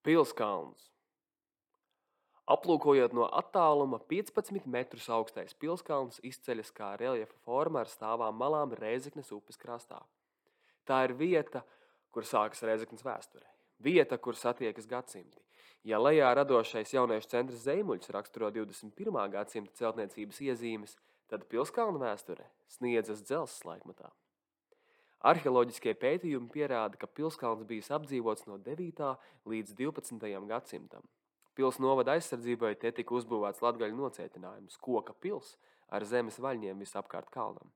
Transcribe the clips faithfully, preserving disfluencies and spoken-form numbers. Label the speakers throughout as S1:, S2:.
S1: Pilskalns. Aplūkojot no attāluma, piecpadsmit metrus augstais pilskalns izceļas kā reljefa forma ar stāvām malām Rēzeknes upes krastā. Tā ir vieta, kur sākas Rēzeknes vēsture. Vieta, kur satiekas gadsimti. Ja lejā radošais jauniešu centrs Zeimuļs raksturo divdesmit pirmā gadsimta celtniecības iezīmes, tad Pilskalna vēsture sniedzas dzelzs laikmatā. Arheoloģiskie pētījumi pierāda, ka Pilskalns bijis apdzīvots no devītā līdz divpadsmitajam gadsimtam. Pils novada aizsardzībai te tika uzbūvēts latgaļu nocietinājums – koka pils ar zemes vaļņiem visapkārt kalnam.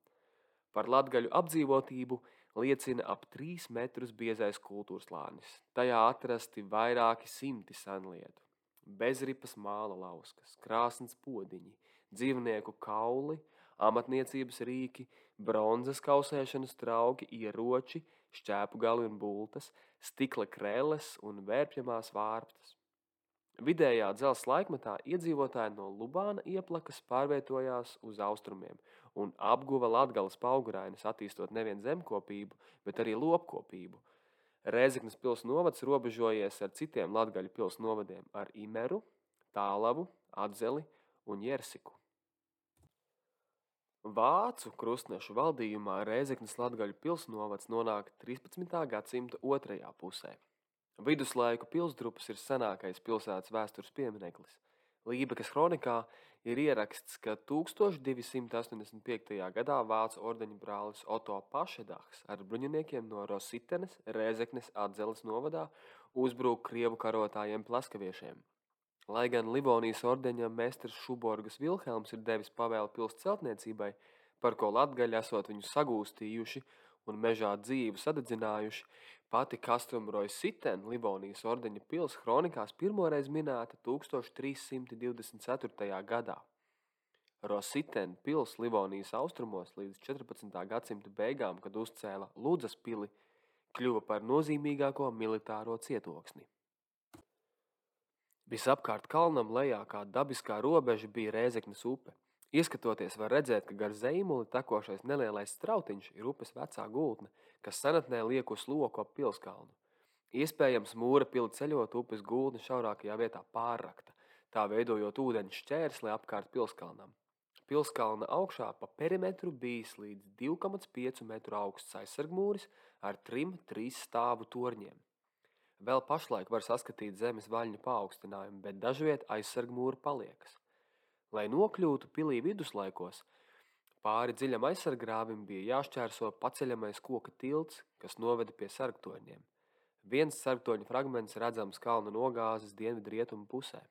S1: Par latgaļu apdzīvotību liecina ap trīs metrus biezais kultūrslānis. Tajā atrasti vairāki simti senlietu. Bezripas māla lauskas, krāsns podiņi, dzīvnieku kauli, amatniecības rīki, bronzas kausēšanas trauki, ieroči, šķēpu gali un bultas, stikla krelles un vērpjamās vārptas. Vidējā dzelzs laikmetā iedzīvotāji no Lubāna ieplakas pārvietojās uz austrumiem un apguva Latgales paugurainas, attīstot nevien zemkopību, bet arī lopkopību. Rēzeknes pils novads robežojies ar citiem latgaļu pils novadiem ar Imeru, Tālavu, Atzeli un Jersiku. Vācu krustnešu valdījumā Rēzeknes latgaļu pils novads nonāk trīspadsmitā gadsimta otrajā pusē. Viduslaiku pilsdrupas ir senākais pilsētas vēstures piemineklis. Lībekas kronikā ir ieraksts, ka tūkstoš divi simti astoņdesmit piektajā gadā vācu ordeņa brālis Oto Pašedahs ar bruņiniekiem no Rositenes, Rēzeknes, Atzeles novadā uzbrūk krievu karotājiem plaskaviešiem. Lai gan Livonijas ordeņa mestrs Šuborgas Vilhelms ir devis pavēli pils celtniecībai, par ko latgaļi esot viņu sagūstījuši un mežā dzīvu sadedzinājuši, pati Castrum Roisiten, Livonijas ordeņa pils, kronikās pirmoreiz minēta tūkstoš trīs simti divdesmit ceturtajā gadā. Rositen pils Livonijas austrumos līdz četrpadsmitā gadsimta beigām, kad uzcēla Ludzas pili, kļuva par nozīmīgāko militāro cietoksni. Visapkārt kalnam lejā kā dabiskā robeža bija Rēzeknes upe. Ieskatoties var redzēt, ka gar Zeimuli tekošais nelielais strautiņš ir upes vecā gultne, kas senatnē liek uz loku ap Pilskalnu. Iespējams, mūra pili ceļot upes gultne šaurākajā vietā pārrakta, tā veidojot ūdeņu šķērsli apkārt Pilskalnam. Pilskalna augšā pa perimetru bijis līdz divi komats pieci metru augsts aizsargmūris ar trim trīs stāvu torņiem. Vēl pašlaik var saskatīt zemes vaļņu paaugstinājumu, bet dažviet aizsargmūri paliekas. Lai nokļūtu pilī viduslaikos, pāri dziļam aizsargrāvim bija jāšķērso paceļamais koka tilts, kas noveda pie sargtoņiem. Viens sargtoņa fragments redzams kalna nogāzes dienvidrietumu pusē.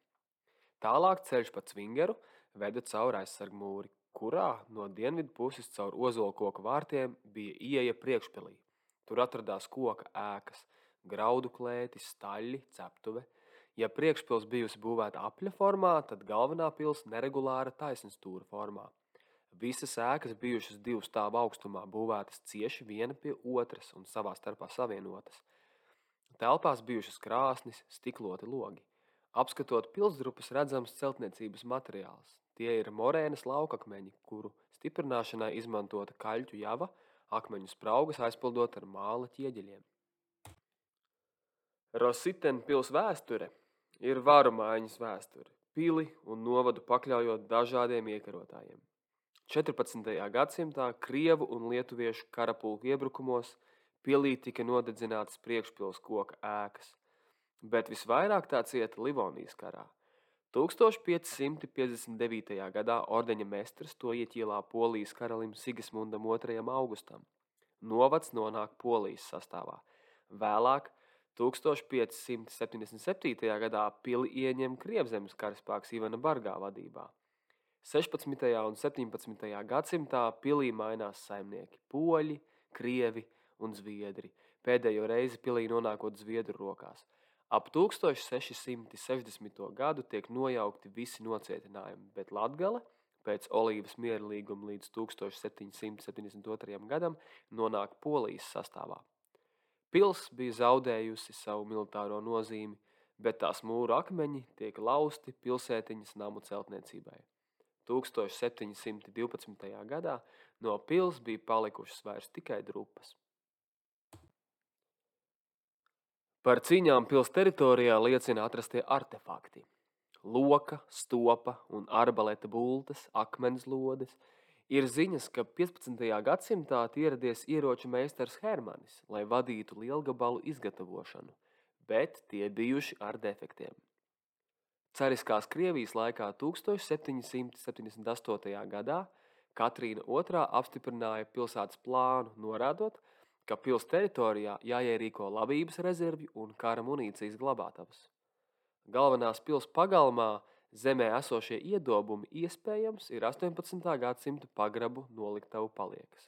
S1: Tālāk ceļš pa Cvingeru veda caur aizsargmūri, kurā no dienvidu puses caur ozolkoka vārtiem bija ieeja priekšpilī. Tur atradās koka ēkas, graudu klēti, staļļi, ceptuve. Ja priekšpils bijusi būvēta apļa formā, tad galvenā pils neregulāra taisnstūra formā. Visas ēkas bijušas divu stāvu augstumā, būvētas cieši viena pie otras un savā starpā savienotas. Telpās bijušas krāsnis, stikloti logi. Apskatot pilsdrupas redzams celtniecības materiāls. Tie ir morēnas laukakmeņi, kuru stiprināšanai izmantota kaļķu java, akmeņu spraugas aizpildot ar māla ķieģeļiem. Rositen pils vēsture ir varu maiņas vēsture, pili un novadu pakļaujot dažādiem iekarotājiem. četrpadsmitajā gadsimtā krievu un lietuviešu karapulku iebrukumos pilī tika nodedzinātas priekšpils koka ēkas, bet visvairāk tā cieta Livonijas karā. tūkstoš pieci simti piecdesmit devītajā gadā ordeņa mestrs to ieķīlā Polijas karalim Sigismundam otrajam Augustam. Novads nonāk Polijas sastāvā. Vēlāk tūkstoš pieci simti septiņdesmit septītajā gadā pili ieņem Krievzemes karaspēks Ivana Bargā vadībā. sešpadsmitajā un septiņpadsmitajā gadsimtā pilī mainās saimnieki – poļi, krievi un zviedri, pēdējo reizi pilī nonākot zviedru rokās. Ap tūkstoš seši simti sešdesmito gadu tiek nojaukti visi nocietinājumi, bet Latgale pēc Olīvas miera līguma līdz tūkstoš septiņi simti septiņdesmit otrajam gadam nonāk Polijas sastāvā. Pils bija zaudējusi savu militāro nozīmi, bet tās mūru akmeņi tiek lausti pilsētiņas namu celtniecībai. tūkstoš septiņi simti divpadsmitajā gadā no pils bija palikušas vairs tikai drupas. Par cīņām pils teritorijā liecina atrastie artefakti. Loka, stopa un arbaleta bultas, akmens lodes. Ir ziņas, ka piecpadsmitajā gadsimtā ieradies ieroču meistars Hermanis, lai vadītu lielgabalu izgatavošanu, bet tie bijuši ar defektiem. Cariskās Krievijas laikā tūkstoš septiņi simti septiņdesmit astotajā gadā Katrīna otrā apstiprināja pilsētas plānu, norādot, ka pils teritorijā jāierīko labības rezervju un kara munīcijas glabātavas. Galvenās pils pagalmā zemē esošie iedobumi iespējams ir astoņpadsmitā gadsimta pagrabu noliktavu paliekas,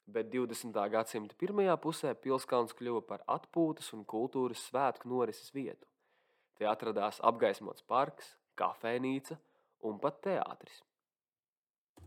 S1: bet divdesmitā gadsimta pirmajā pusē pilskalns kļuva par atpūtas un kultūras svētku norises vietu. Te atradās apgaismots parks, kafejnīca un pat teātris.